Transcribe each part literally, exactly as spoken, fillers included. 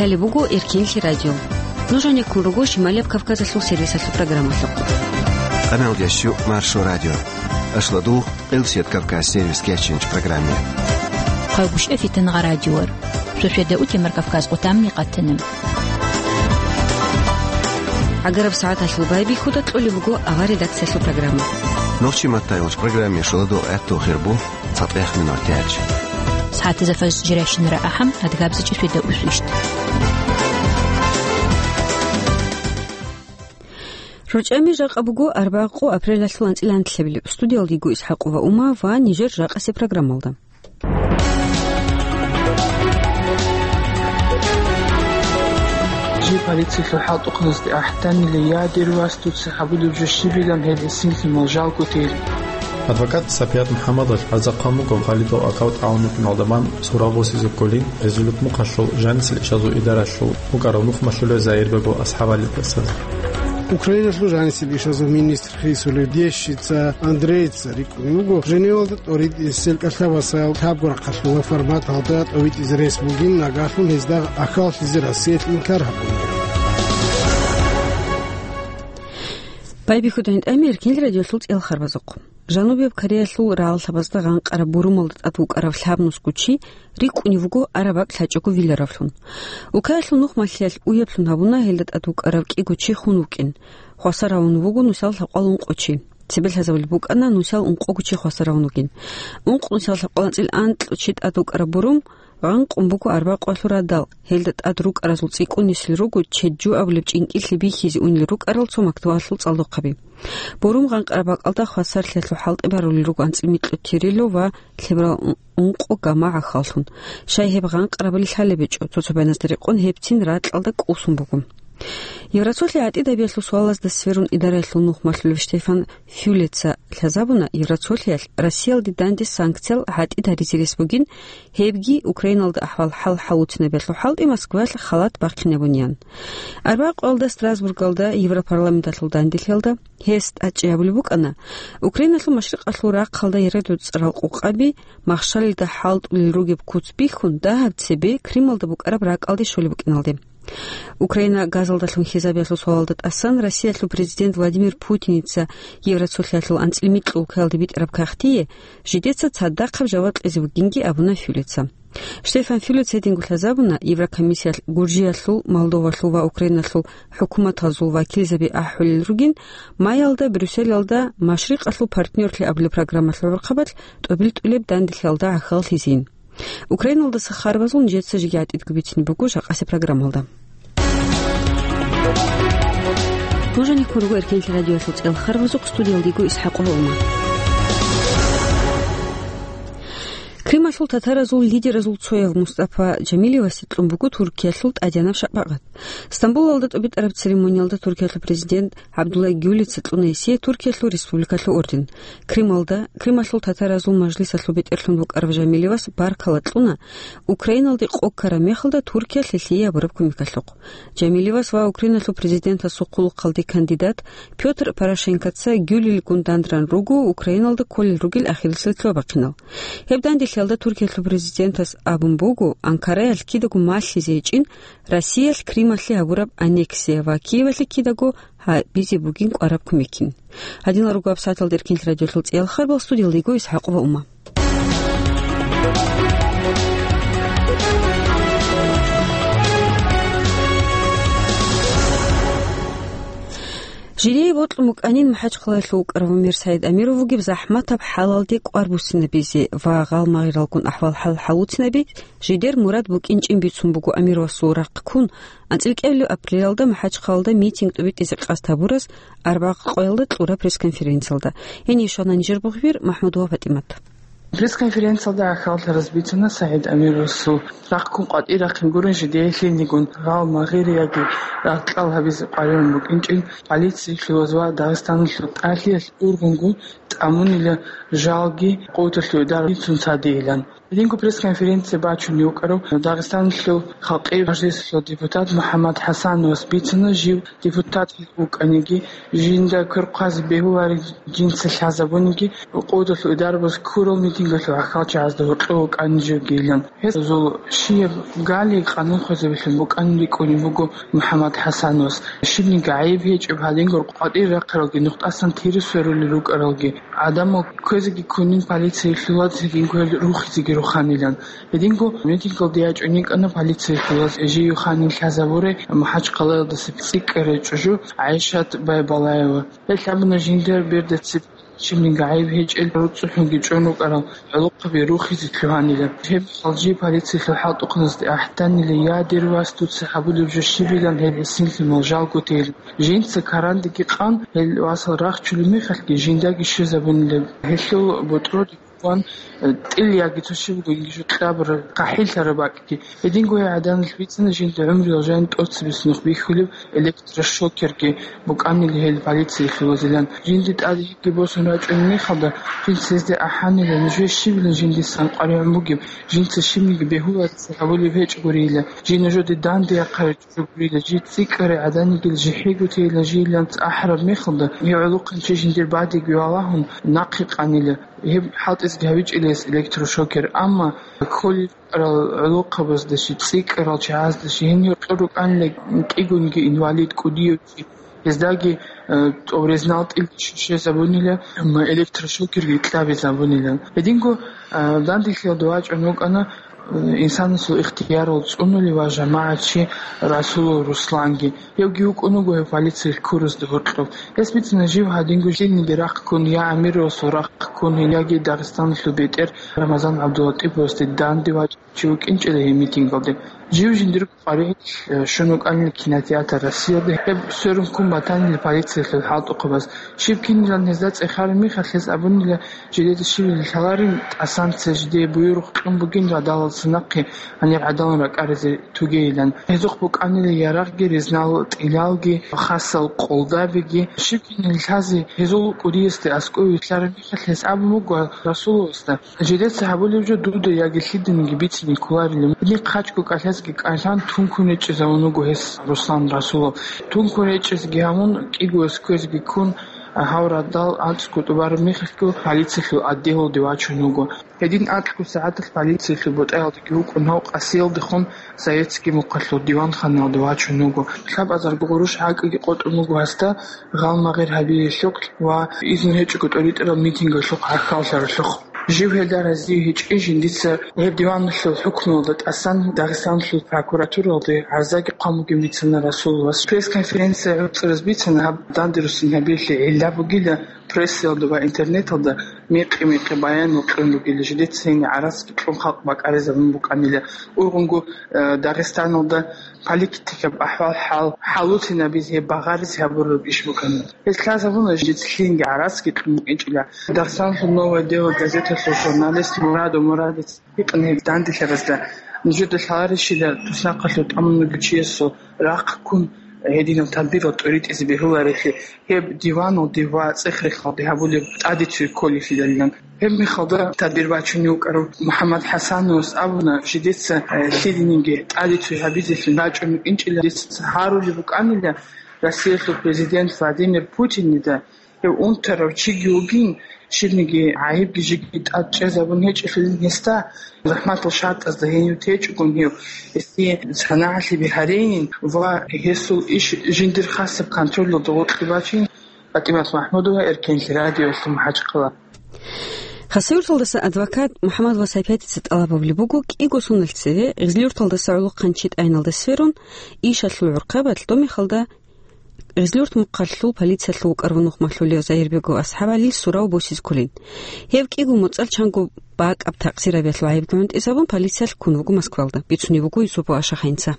Гьале буго Эркенлъи радио. Нуж гьанеккун руго Шималияб Кавказалъул сервисалъул программалъухъ. Къамалдиящу Маршо радио. Ашладу, Къилсият Кавказ сервис кечинч программе. Хъагушев Фитангъа радиор. Шошеда утемар Кавказ къутамни къатанам. Агараб сагӀаталъул байбихьуда кьолеб буго авар редакциялъул программа. Нохчи маттайолч программе шуладу гӀатту хирбу. ЦатӀех минутач. СагӀатазда фажр жирайщинара ахӀам, адгабзачӀи светда усвищт. РучӀами жакъа буго арбакъу апрелалъул анцӀила анлъабилеб. Студиялдиго ИсхӀакъова Ума ва нижер жакъасе программалда. Жи полициялъул хӀалтӀухъанасде ахӀданила ядер вастуца гьабулеб жо щибилан гьел эсинлъимал жалго тел. Адвокат Сапият МухӀаммадович гӀарзахъан буго Халидов акав тӀагӀун вукӀиналда бан сурал босизе кколин, резолют мухъалъул жанисел ишазул идаралъул букӀарав нухмалъулев Заирбегов АсхӀабалидасан. Украиналъул жанисел ишазул министр хисулев Дещица Андрейца рикӀкӀунев вуго Женевалда тӀоритӀисел кӀалъабасал лъабго рахъалъула форматалда тӀовитӀизе рес бугин, нагагьлъун гьезда ахьаллъизе Россиялъ инкар гьабуна. Байбихьуда гьитӀами Эркенлъи радиолъул цӀел харбазухъ. Жанубияб Кореялъул рагъалъабазда гъанкъараб бурумалда тӀад вукӀарав лъабнусго чи рикӀкӀунев вуго араб бакӀ лъачӀого виларавлъун. Укаялъул нухмалъиялъ уяблъун гьабуна гьелда тӀад вукӀарав кӀиго чи хун вукӀин. Хвасар гьавун вуго нусал лъабкъоялда ункъо чи. Цебе лъазабулеб букӀана нусал ункъого чи хвасар гьавун вугин. Ункъ нусал лъабкъоялда анцӀил анкьго чи тӀад вукӀараб бурум гъанкъун буго арбакъуялъул радал, гьелда тӀад рукӀаразул цӀикӀкӀунисел руго чед жо абулеб чӀинкӀиллъи бихьизе унел рукӀарал цо мактабалъул цӀалдохъаби. Бурум гъанкъараб бакӀалда хвасарлъиялъул хӀалтӀи барулел руго анцӀил микьго тирило ва лъеберал ункъо гамагӀ ахьаллъун. Щай гьеб гъанкъарабали лъалеб гьечӀо, цо-цо байназда рекъон гьебцин ракьалда кӀусун буго. Евросолъи гӀатӀидабиялъул суалазда сверун идараялъул нухмалъулев Штефан Фюлеца лъазабуна, Евросолъиялъ Россиялде данде санкциял гӀатӀид гьаризе рес бугин, гьебги Украиналда ахӀвал-хӀал хӀалуцинабиялъул хӀалтӀи Москваялъ халат бахъинабуниян. Арбакъуялда Страсбургалда Европарламенталъул данделъиялда гьес тӀадчӀей гьабулеб букӀана, Украиналъул машрикъалъул рахъалда ярадуцӀарал къукъаби махщалилда хӀалтӀулел ругеб куц бихьун, дагьаб цебе Крималда букӀараб ракӀалде щолеб букӀиналде. Украина газалдалъун хьизабиялъул суалалда тӀасан Россиялъул президент Владимир Путиница Евросолъиялъул анцӀил микьго улкаялде битӀараб кагътие жидеца цадахъаб жаваб кьезе вугинги абуна Фюлеца. Штефан Фюлеца гьединго лъазабуна, Еврокомиссиялъ Гуржиялъул, Молдовалъул ва Украиналъул хӀукуматазул вакилзаби ахӀулел ругин, майалда Брюсселалда машрикъалъул партнёрлъи абулеб программалъул гӀурхъабалъ тӀубил-тӀулеб данделъиялда гӀахьаллъизейин. Украиналдаса харбазул нижеца жеги гӀатӀидго бицине буго жакъасе программалда. Нуж гьанеккун руго Эркенлъи радиоялъул цӀел харбазухъ, студиялдиго ИсхӀакъова Ума. Крималъул татаразул лидеразул цояв Мустафа Жамилевасе кьун буго Туркиялъул тӀадегӀанаб шапагӀат. Стамбулалда тӀубитӀараб церемониялда Туркиялъул президент ГӀабдулла Гюлица кьуна гьесие Туркиялъул республикалъул орден. Крималда, Крималъул татаразул мажлисалъул бетӀерлъун букӀараб Жамилевас баркала кьуна, Украиналде къо ккараб мехалда Туркиялъ гьелъие гьабураб кумекалъухъ. Жамилевас ва Украиналъул президентасул хъулухъалде кандидат Пётр Порошенкоца Гюлилгун дандран руго Украиналда кколел ругел ахирисел лъугьа-бахъинал. Гьеб данделъиялда Туркиялъул президентас абун буго, Анкараялъ кидаго малъизе гьечӀин Россиялъ Крималъе гьабураб аннексия ва Киевалъе кидаго гьабизе бугин кӀвараб кумекин. Гьадинал руго гьаб сагӀаталда Эркенлъи радиоялъул цӀиял харбал, студиялда йиго ИсхӀакъова Ума. Жидее бокьун букӀанин МахӀачхъалаялъув вукӀарав Мир СагӀид Амиров вугеб захӀматаб хӀалалде кӀвар буссинабизе ва гъалмагъиралгун ахӀвал-хӀал хӀалуцинабизе жидер мурад букӀинчӀин бицун буго Амировасул рахъ ккун, анцӀила кӀиабилеб апрелалда МахӀачхъалаялда митинг тӀубитӀизе къасд гьабураз арбякъ къоялда кьураб пресс-конференциялда. Гьенив щвана нижер бугъвир МахӀмудова ПатӀимат. Пресс-конференциялда гӀахьаллъараз бицана СагӀид Амировасул рахъ ккун къватӀир рахъин гурин жидее лъилнигун гъалмагъири яги рагъ-кьал гьабизе къваригӀун букӀинчӀин, полициялъуваз ва Дагъистаналъул тӀалъиялъ ургъунгун тӀамунила жалги къотӀалъуй дарбицун цадейилан. Гьединго пресс-конференция бачунев вукӀарав Дагъистаналъул халкъи мажлисалъул депутат МухӀаммад ХӀасановас бицана, жив депутат вукӀаниги, жинда квер хъвазе бегьулареб жинца лъазабуниги, къотӀалъуй дарбаз ккурал митинг Гьелъул гӀахьалчагӀазда гьоркьов вукӀанин живгийилан. Гьезул щиб гали къанун хвезабилъун букӀанин рикӀкӀунеб буго МухӀаммад ХӀасановас. Щибниги гӀайиб гьечӀеб гьадингур къватӀир рахъаралги, нухтӀасан тире сверулел рукӀаралги. ГӀадамал кквезеги ккунин полициялъул ваз гьединго гьел рухизеги руханилан. Гьединго митингалде ячӀун йикӀана полициялъул ваз, жив ханин лъазабурай МахӀачхъалаялдаса цӀикӀкӀарай чӀужу ГӀайшат Байбалаева. Гьел абуна жинда бердацеб щибниги гӀайиб гьечӀел, руцӀцӀухӀунги чӀун рукӀарал гӀолохъаби рухизе лъугьанила. Гьеб хӀалжи полициялъул хӀалтӀухъаназде ахӀданила: «Я, дир вас, дуца гьабулеб жо щибилан гьел гӀисинлъимал жалго тейилан». Жинца карандеги къан, гьел васал рахчулеб мехалъги жиндаги щвезабунила. Гьелъул бутӀрулги ван, э, тӀил яги цо щиб бугониги жо кьабураб, хъахӀиллъараб бакӀги. Гьединго гьей гӀаданалъ бицана жинда гӀумруялъ жан тӀоцебесеб нух бихьулеб электрошокерги букӀанила гьел полициялъул вазилан. Жинда тӀаде йигги босун рачӀунеб мехалда, жинца гьезда ахӀанила: «Нужее щибилан жиндасан къваригӀун бугеб? Жинца щибниги бегьуларизе гьабулеб гьечӀогурила. Жив нужеде данде яхъарай чӀужугурила. Жив цӀикӀкӀарай гӀаданигил жихӀего тейилан жийилан ахӀараб мехалда, гьев гӀолохъанчи жиндир бадиги валагьун нахъе къанила». Гьеб хӀалтӀизеги гьабичӀила гьес электрошокер, амма кколел рукӀарал гӀолохъабазда щиб, цӀикӀкӀарал чагӀазда щиб, гьенив кьур рукӀанила кӀигунги инвалид кӀудияв чи, гьездаги, э, тӀуб резнал тӀилги щвезабунила, м, электрошокерги кьабизабунила. Гьединго, э, данделъиялда вачӀун вукӀана, э, инсанасул ихтиярал цӀунулев ва жамагӀатчи Расулов Русланги. Гьевги вукӀун вуго гьев полициялъ ккурузда гьоркьоб. Гьес бицана жив гьадинго лъилниги рахъ ккун, я Амировасул рахъ ккун, яги Дагъистаналъул бетӀер Рамазан ГӀабдулатӀиповасде данде вачӀ чи вукӀинчӀила гьеб митингалде. Жив жиндирго къваригӀел, э, щун вукӀанила кинотеатр «Россиялда», гьеб сверун ккун батанила полициялъул хӀалтӀухъабаз. Щиб кинилан гьезда цӀехараб мехалъ, гьез абунила, жидеда щиб лъаларин, тӀасан цо жидее буюрухъ кьун бугин радалалдаса нахъе гьанир гӀадамал ракӀаризе тугейилан. Гьезухъ букӀанила ярагъги, резнал тӀилалги, хасал къолдабиги. Щиб кинилан лъазе гьезул кӀудиясде аскӀове вилълъараб мехалъ, гьес абун буго Расуловасда: «Жидеца гьабулеб жо дуда яги лъиданиги бицине кколарилан. Гьениб хъачӀго кӀалъазеги кӀалъан тункун речӀчӀизавун вуго гьес Руслан Расулов. Тункун речӀчӀизеги гьавун, кӀигояс кквезеги ккун, гьав радал анцӀго тӀубараб мехалъго полициялъул отделалде вачун вуго. Гьедин анкьго сагӀаталъ полициялъул бутӀаялдаги вукӀун гьав къасиялдехун Советский мухъалъул диванханаялде вачун вуго. Лъабазарго гъурущ гӀакӀги къотӀун буго гьасда, гъалмагъир гьабиялъухъ ва изну гьечӀого тӀоритӀарал митингалъухъ гӀахьаллъаралъухъ. Жив гьелда разие гьечӀин жиндица гьеб диваналъул хӀукмуялда тӀасан Дагъистаналъул прокуратуралде гӀарзаги хъван бугин бицана Расуловас. Пресс-конференция гӀуцӀараз бицана гьаб данде руссин гьабиялъе гӀилла бугила прессаялда ва интернеталда мекъи-мекъи баянал кьун ругила, жидеца гьениб гӀарацги кьун халкъ бакӀаризабун букӀанила. Ургъунго, э, Дагъистаналда политикаб ахӀвал-хӀал хӀалуцинабизе гьеб багъаризе гьабураб иш букӀана. Гьез лъазабуна жидеца лъиданиги гӀарацги кьун букӀинчӀила. Дагъистаналъул «Новое дело» газеталъул журналист Мурадов Мурадица гьикъана гьеб данделъаразда: «Нужеда лъаларищила туснахъалъув тӀамун вугев чиясул рахъ ккун гьединаб тадбирал тӀоритӀизе бегьуларелъи, гьеб диваналде ва цӀех-рехалде гьабулеб тӀадицуе кколелъидалилан?» Гьеб мехалда тадбир бачунев вукӀарав МухӀаммад ХӀасановас абуна, жидеца, э, лъиданиги тӀадицуе гьабизелъун рачӀун рукӀинчӀила, дица гьарулеб букӀанила Россиялъул президент Владимир Путиннида. Гьев унтарав чиги вугин, щибниги гӀайибги жеги тӀад чӀезабун гьечӀелъулин гьесда, захӀматал шартӀазда гьенив течӀогун гьев, гьесие санагӀалъи бигьарейин ва гьесул иш жиндир хасаб контролалда гъоркье бачейин. ПатӀимат МахӀмудова, Эркенлъи радиолъи, МахӀачхъала. Хасавюрталдаса адвокат МухӀаммад Васапиятица тӀалаб гьабулеб буго, кӀиго соналъ цеве Гъизлиюрталдаса ГӀолохъанчи тӀайиналде сверун, ишалъул гӀурхъабалъ, доб мехалда Гъизлиюрт мухъалъул полициялъул вукӀарав нух малъулев Загьирбегов АсхӀабгӀалил сурав босизе кколин. Гьев кӀиго моцӀалъ чанго бакӀаб такъсирабиялъул гӀайибги гӀунтӀизабун, полициялъ ккун вуго Москвалда, бицунеб буго Юсупов Ашахъинца.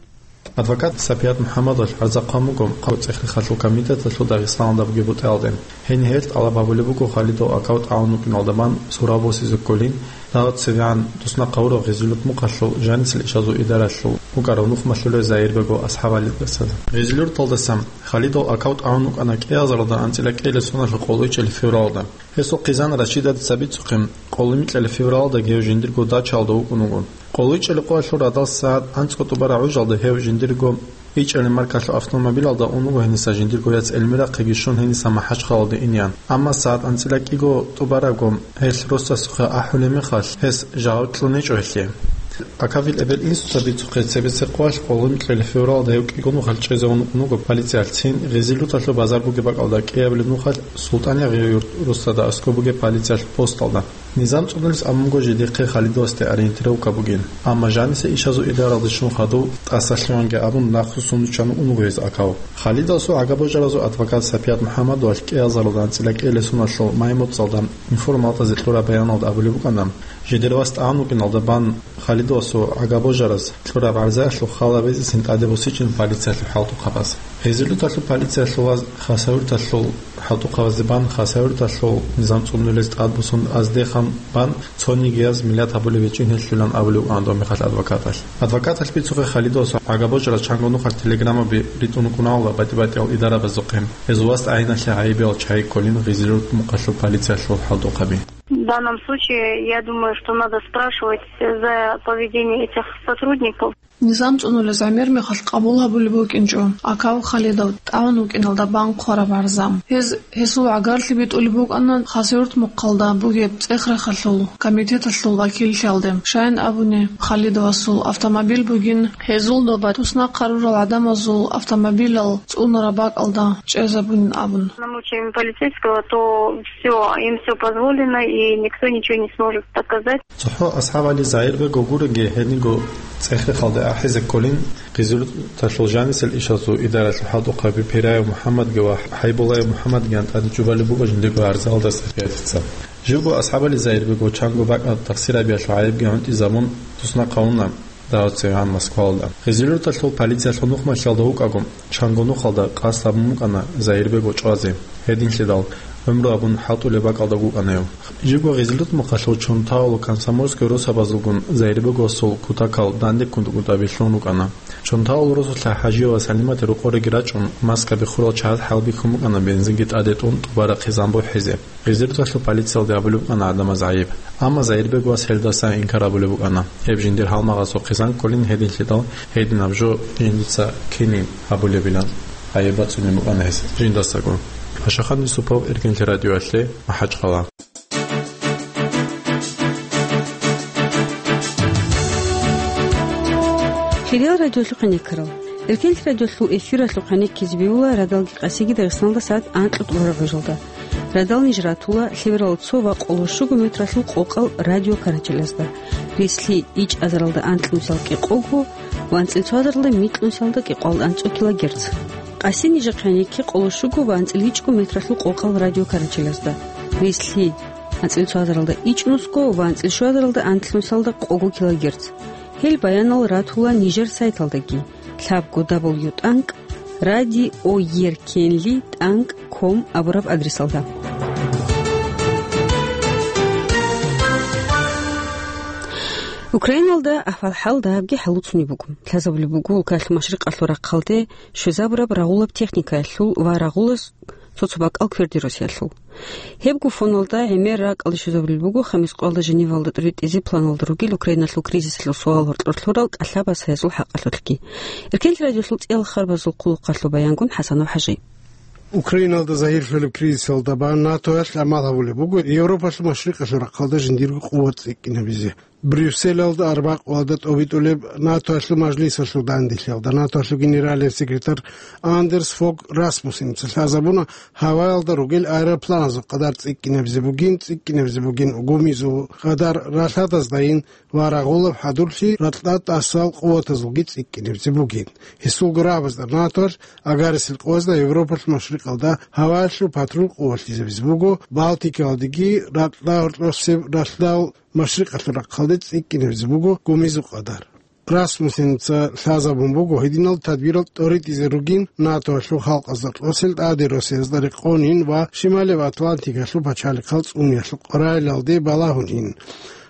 Адвокат Сапият МухӀаммадовалъ гӀарза хъван буго Хъалиб цӀех-рехалъул комитеталъул Дагъистаналда бугеб бутӀаялде. Гьениб гьелъ тӀалаб гьабулеб буго Халидов аккаунт гӀавун вукӀиналда бан сураб босизе кколин, дагьаб цевегӀан туснахъ гьавурав Гъизлиюрт мухъалъул жанисел ишазул идаралъул вукӀарав нух малъулев Загьирбегов АсхӀабгӀалидаса. Гъизлиюрталдаса Халидов аккаунт гӀавун вукӀана кӀиазаралда анцӀила кӀиабилеб соналъул къоло ичӀабилеб февралда. Гьесул хъизан Рашидатица бицухъе, къоло микьабилеб февралда гьев жиндирго дачаялда вукӀун вуго. Къоло ичӀабилеб къоялъул радал сагӀат анцӀго тӀубараб гӀужалда гьев жиндирго ИчӀали маркалъул автомобилалда ун вуго гьениса жиндирго яц Эльмирахъеги щун гьениса МахӀачхъалалде инеян. Амма сагӀат анцӀила кӀиго тӀубарабго гьелъ росасухъе ахӀулеб мехалъ, гьес жаваб кьун гьечӀо гьелъие. Акавил эбел-инсуца бицухъе цебесеб къоялъ къоло кьола февралда гьев кӀиго нухалъ чӀезе ункъун вуго полициялъ, цин Гъизилуталъул базар бугеб бакӀалда кӀиабилеб нухалъ СултӀан-Ягъияб юрт росдада аскӀоб бугеб полициялъул посталда. Низам цӀунулес абун буго жидехъе Халидовасде ориентировка бугин, амма жаниса ишазул идаралде щун хадув тӀасалъугьанги абун нахъвуссун виччан ун вуго гьез Акав. Халидовасул гӀагабожаразул адвокат Сапият МухӀаммадовалъ кӀиазаралда анцӀила кӀиабилеб соналъул май-моцӀалда информалдазе кьураб баяналда абулеб букӀана, жидер вас тӀагӀун вукӀиналда бан Халидовасул гӀагабожараз кьураб гӀарзаялъул хал гьабизесин тӀаде босичӀин полициялъул хӀалтӀухъабаз. Гъизилуталъул полициялъул вас Хасавюрталъул хӀалтӀухъабазде бан, Хасавюрталъул низам цӀунулез тӀадбуссун азде хъан бан, цонигияз миллат гьабулеб гьечӀин гьелъулан абулеб букӀана доб мехалъ адвокаталъ. Адвокаталъ бицухъе Халидовасул гӀагабожараз чанго нухалъ телеграммаби ритӀун рукӀунарола батӀи-батӀиял идарабазухъе. Гьезул вас тӀагӀиналъе гӀайибиял чагӀи кколин Гъизилут мухъалъул полициялъул хӀалтӀухъаби. В данном случае, я думаю, что надо спрашивать за поведение этих сотрудников. Низам цӀунулез гӀемер мехалъ къабул гьабулеб букӀинчӀо Акав Халидов тӀагӀун вукӀиналда бан хъвараб гӀарза. Гьез гьесул гӀагарлъи битӀулеб букӀана Хасавюрт мухъалда бугеб цӀех-рахъалъул комитеталъул вакиллъиялде. Щайин абуни, Халидовасул автомобиль бугин гьезул доба туснахъ гьарурал гӀадамазул автомобилал цӀунараб бакӀалда чӀезабунин абун. Намучаем полицейского, то всё, им всё позволено, и никто ничего не сможет доказать. ЦохӀо АсхӀабали Загьирбегов гурони гьениго цӀех-рахъалде ахӀизе кколин, Гъизилуталъул жанисел ишазул идаралъул хӀалтӀухъаби Пираев МухӀаммадги ва ХӀайбулаев МухӀаммадгиян тӀаде чӀубалеб буго жиндирго гӀарзаялда Сапиятица. Живго АсхӀабали Загьирбегов чанго бакӀалда тахсир гьабиялъул гӀайибги гӀунтӀизабун, туснахъ гьавуна дагьав цевегӀан Москвалда. Гъизилуталъул полициялъул нухмалъиялда вукӀаго, чанго нухалда къасд гьабун букӀана Загьирбегов чӀвазе. Гьединлъидал гӀумру абун хӀалтӀулеб бакӀалда вукӀана гьев. Живго Гъизилут мухъалъул Чонтаул, Комсомольская росабазулгун Загьирбеговасул кутакал данде кӀунтӀ-кӀунтӀаби лъун рукӀана. Чонтаул росулъа ХӀажи ва Салиматил рокъореги рачӀун, маскаби хурал чагӀаз хӀалбихьун букӀана бензинги тӀаде тӀун тӀубарахъе замбухӀизе. Гъизилуталъул полициялде абулеб букӀана гӀадамаз гӀайиб. Амма Загьирбеговас гьелдаса инкар абулеб букӀана. Гьеб жиндир гьалмагъасухъе зан кколин гьединлъидал, гьединаб жо жиндица кинин гьабулебилан гӀайиб бацӀцӀунеб букӀана гьес жиндасаго. Пашахан Юсупов, Эркенлъи радиоялъе, МахӀачхъала. Лъидал радиолъухъ гӀенеккарал. Эркенлъи радиолъул эфиралъухъ гӀенеккизе бегьула радалги къасиги Дагъистаналда сагӀат анкьго тӀубараб гӀужалда. Радал ниж ратула лъеберал цо ва къоло щуго метралъул къокъал радиокарачелазда, рислъи ичӀазаралда анкьнусал кӀикъого ва анцӀил цоазаралда микьнусалда кӀикъоялда анцӀго килогерц. Къаси нижехъе гӀенекке къоло щуго ва анцӀил ичӀго метралъул къокъал радиокарачелазда, рислъи анцӀил цоазаралда ичӀнусго ва анцӀил щуазаралда анлънусалда къого килогерц. Гьел баянал ратула нижер сайталдаги, лъабго дабл ю тӀанкӀ радиоеркенли тӀанкӀ ком абураб адресалда. Украиналда ахӀвал-хӀал дагьабги хӀалуцунеб буго. Лъазабулеб буго, улкаялъул машрикъалъул рахъалде щвезабураб рагъулаб техникаялъул ва рагъулаз цо-цо бакӀал кверде росиялъул. Гьебго фоналда гӀемер ракӀалде щвезабулеб буго, Хамискъоялда Женевалда тӀуритӀизе планалда ругел Украиналъул кризисалъул суал гьоркьор лъурал кӀалъабаз гьезул хӀакъалъулъги. Эркенлъи радиолъул цӀиял харбазул хъулухъалъул баянгун ХӀасанов ХӀажи. Украиналда загьирлъулеб кризисалда бан НАТОялъ гӀамал гьабулеб буго Европалъул машрикъалъул рахъалда жиндирго къуват цӀикӀкӀинабизе. Брюсселалда арбакъуалда тӀобитӀулеб НАТОялъул мажлисалъул данделъиялда НАТОялъул генералияб секретарь Андерс Фог Расмуссеница лъазабуна, гьаваялда ругел аэропланазул къадар цӀикӀкӀинабизе бугин, цӀикӀкӀинабизе бугин гумизул къадар ралъадаздайин ва рагъулаб хӀадурлъи ракьа тӀасал къуватазулги цӀикӀкӀинабизе бугин. Гьесулго рагӀабазда НАТОялъ, агарисел къоязда Европалъул машрикъалда гьаваялъул патрул къувалъизабизе буго, Балтикаялдеги ракьа гьоркьосеб ралъдал машрикъалъул рахъалде цӀикӀкӀинабизе буго гумизул къадар. Расмуссеница лъазабун буго, гьединал тадбирал тӀоритӀизе ругин НАТОялъул халкъазда кьосел тӀаде росиязда рекъонин ва Шималияб Атлантикалъул пачалихъал цӀуниялъул къорайилалде балагьунин.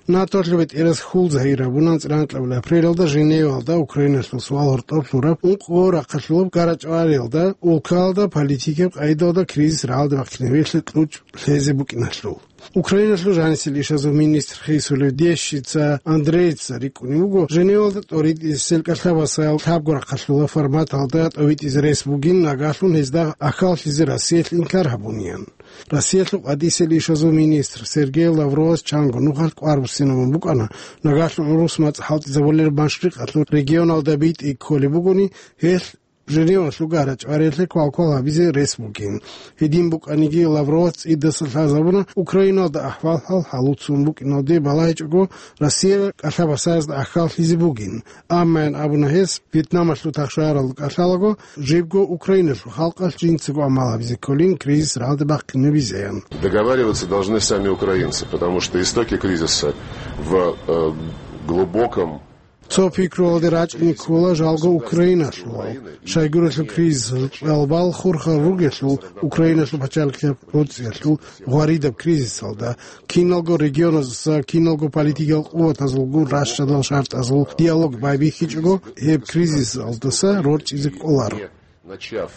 НАТОлъул бетӀерас хьул загьир гьабуна анцӀила анкьабилеб апрелалда Женевалда Украиналъул суал гьоркьоб лъураб ункъго рахъалъулаб гарачӀвариялда, улкаялда политикияб къагӀидалда кризис рагӀалде бахъинавилъи кьучӀ лъезе букӀиналъул. Украиналъул жанисел ишазул министр хисулев Дещица Андреица рикӀкӀунев вуго Женевалда тӀоритӀисел кӀалъабасаял лъабго рахъалъула форматалда тӀовитӀизе рес бугин, нагагьлъун гьезда ахьаллъизе Россиялъ инкар гьабуниян. Россиялъул къватӀисел ишазул министр Сергей Лавровас чанго нухалъ кӀвар буссинабун букӀана, нагагьлъун гӀурус мацӀ хӀалтӀизабулел машрикъалъул регионалда битӀи кколеб бугони, гьелъ Женевалъул гарачӀвариялъе квалквал гьабизе рес бугин. Гьедин букӀаниги, Лавровас цӀидаса лъазабуна Украиналда ахӀвал-хӀал хӀалуцун букӀиналде балагьичӀого Россия кӀалъабасаязда ахьаллъизе бугин. Аммаян абуна гьес, Вьетнамалъул тахшагьаралда кӀалъалаго, жибго Украиналъул халкъалъ жинцаго гӀамал гьабизе кколин кризис рагӀалде бахъинабизеян. Договариваться должны сами украинцы, потому что истоки кризиса в, э, глубоком... Цо пикруялде рачӀине ккола жалго Украиналъул. Щайгурелъул кризисалъул кьалбал хурхарал ругелъул, Украиналъул пачалихъияб гӀуцӀиялъул гъваридаб кризисалда, киналго регионазулъа, киналго политикиял къуватазулгун ращадал шартӀазул диалог байбихьичӀого, гьеб кризисалдаса рорчӀизе кӀоларо. Начав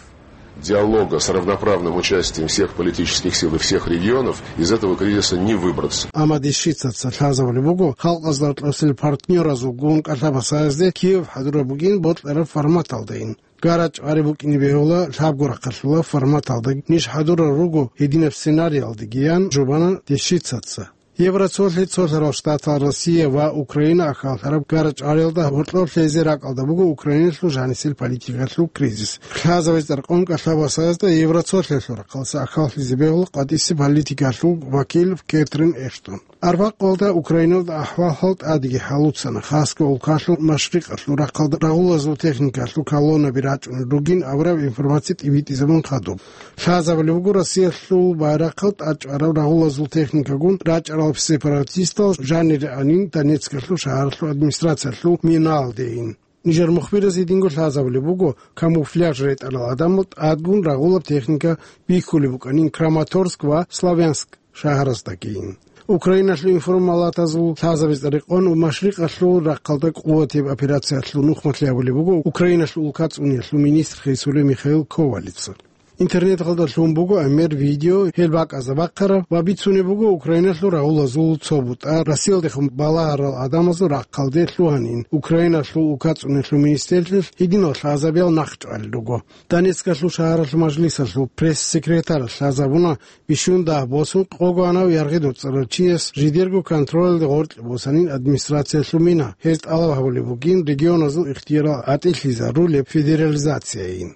диалога с равноправным участием всех политических сил и всех регионов, из этого кризиса не выбраться. Амма Дещицаца лъазабулеб буго, халкъазда рокьосел партнёразулгун кӀалъабасаязде Киев хӀадураб бугин бокьараб форматалдайин. ГарачӀвари букӀине бегьула лъабго рахъалъула форматалда ниж хӀадурал руго гьединаб сценариялдегиян жубана Дещицаца. Евроцолъи, Цолъарал Штатал, Россия ва Украина ахьаллъараб гарачӀвариялда гьоркьоб лъезе ракӀалда буго Украиналъул жанисел политикалъул кризис. Лъазабизе рекъон кӀалъабасаязда Евроцолъиялъул рахъалъа ахьаллъизе бегьула къватӀиси политикалъул вакил Кэтрин Эштон. Арбякъалда Украиналда ахӀвал-хӀал тӀадеги хӀалуцана, хасго улкалъул машрикъалъул рахъалда рагъулазул техникалъул колоннаби рачӀунел ругин абураб информация тӀибитӀизабун хадуб. Лъазабулеб буго Россиялъул байрахъал тӀачӀвараб рагъулазул техникагун рачӀарал сепаратистал жанире анин Донецкалъул шагьаралъул администрациялъул минаялдейин. Нижер мухбираз гьединго лъазабулеб буго, камуфляж ретӀарал гӀадамал тӀадгун рагъулаб техника бихьулеб букӀанин Краматорск ва Славянск шагьараздагийин. Украиналъул информалатазул лъазабизе рекъон ва машрикъалъул рахъалда къуватияб операциялъул нухмалъи гьабулеб буго Украиналъул улкацӀуниялъул министр хисулев Михаил Ковалица. Интернеталда лъун буго гӀемер видео, гьел бакӀазда бахъараб ва бицунеб буго Украиналъул рагъулазул цо бутӀа Россиялдехун балагьарал гӀадамазул рахъалде лъугьанин, Украиналъул улкацӀуниялъул министрлъиялъ гьединал лъазабиял нахъчӀвалел руго. Донецкалъул шагьаралъул мажлисалъул пресс-секретаралъ лъазабуна, бищун дагь босун къого гьанав яргъи доцӀарав чияс жидерго контролалде гъоркье босанин администрациялъул мина. Гьез тӀалаб гьабулеб бугин регионазул ихтиярал гӀатӀилъизарулеб федерализацияйин.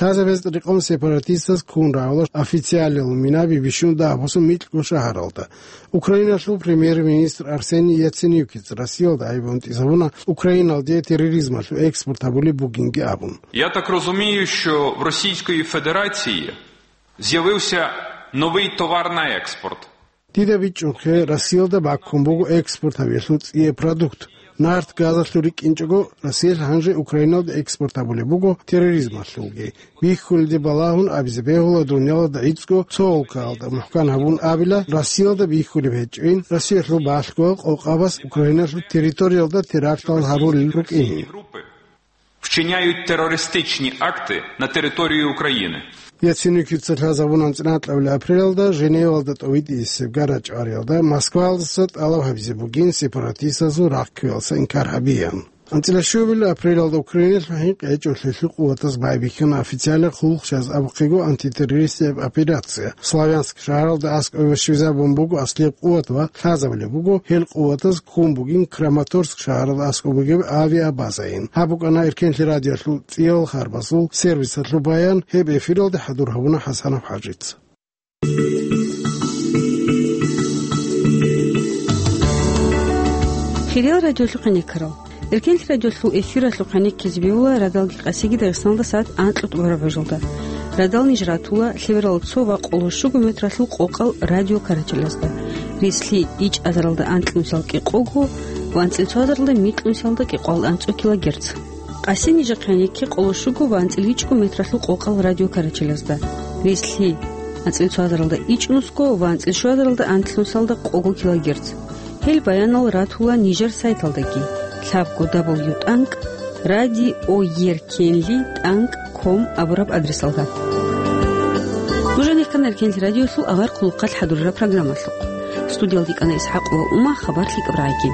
Лъазабизе рекъон сепаратистаз ккун рагӀула официалиял минаби бищун дагь босун микьго шагьаралда. Украиналъул премьер-министр Арсений Яценюкица Россиялда гӀайиб гьунтӀизабуна Украиналде терроризмалъул экспорт гьабулеб бугинги абун. Я так розумію, що в Російської Федерації з'явився новий товар на експорт. Дида бичӀчӀухъе, Россиялда баккун буго экспорт гьабиялъул цӀияб продукт. Нарт газалъул рикӀкӀинчӀого, Россиялъ гьанже Украиналде экспорт гьабулеб буго терроризмалъулги. Бихьулелде балагьун абизе бегьула, дунялалда гӀицӀго цо улкаялда, мухӀкан гьабун абила, Россиялда бихьулеб гьечӀин, Россиялъул балъгоял къокъабаз Украиналъул территориялда терактал гьарулел рукӀин. Вчиняють терористичні акти на території України. Яценюкица лъазабун анцӀила анкьабилеб апрелалда Женевалда тӀовитӀисеб гарачӀвариялда Москваялдаса тӀалаб гьабизе бугин сепаратистазул рахъ кквеялъа инкар гьабиян. АнцӀила щуабилеб апрелалда Украиналъул хӀинкъи гьечӀолъиялъул къуватаз байбихьана официалияб хъулухъ щвез абухъего антитеррористияб операция. Славянск шагьаралда аскӀове щвезабун буго аслияб къуват ва лъазабулеб буго, гьел къуватаз ккун бугин Краматорск шагьаралда аскӀоб бугеб авиабазайин. Гьаб букӀана Эркенлъи радиоялъул цӀиябал харбазул сервисалъул баян, гьеб эфиралде хӀадур гьабуна ХӀасанов ХӀажица. Хириял радиолъухъ гьенеккарал. Эркенлъи радиолъул эфиралъухъ гьенеккизе бегьула радалги къасиги Дагъистаналда сагӀат анкьго тӀубараб гӀужалда. Радал ниж ратула лъеберал цо ва къоло щуго метралъул къокъал радиокарачелазда. Рислъи ичӀазаралда анкьнусал кӀикъого ва анцӀила цоазаралда микьнусалда кӀикъоялда анцӀго килогерц. Къаси нижехъ гьенекке къоло щуго ва анцӀила ичӀго метралъул къокъал радиокарачелазда. Рислъи анцӀила цоазаралда ичӀнусго ва анцӀила щуазаралда анкьнусалда къого килогерц. Гьел баянал ратула нижер сайталдаги, лъабго дабл ю тӀанкӀ радиоеркенли тӀанкӀ ком абураб адресалда. Нуж гьанихъан Эркенлъи радиолъул авар хъулухъалъ хӀадурараб программалъухъ. Студиялда йикӀана ИсхӀакъова Ума, хабар лъикӀаб рагӀаги.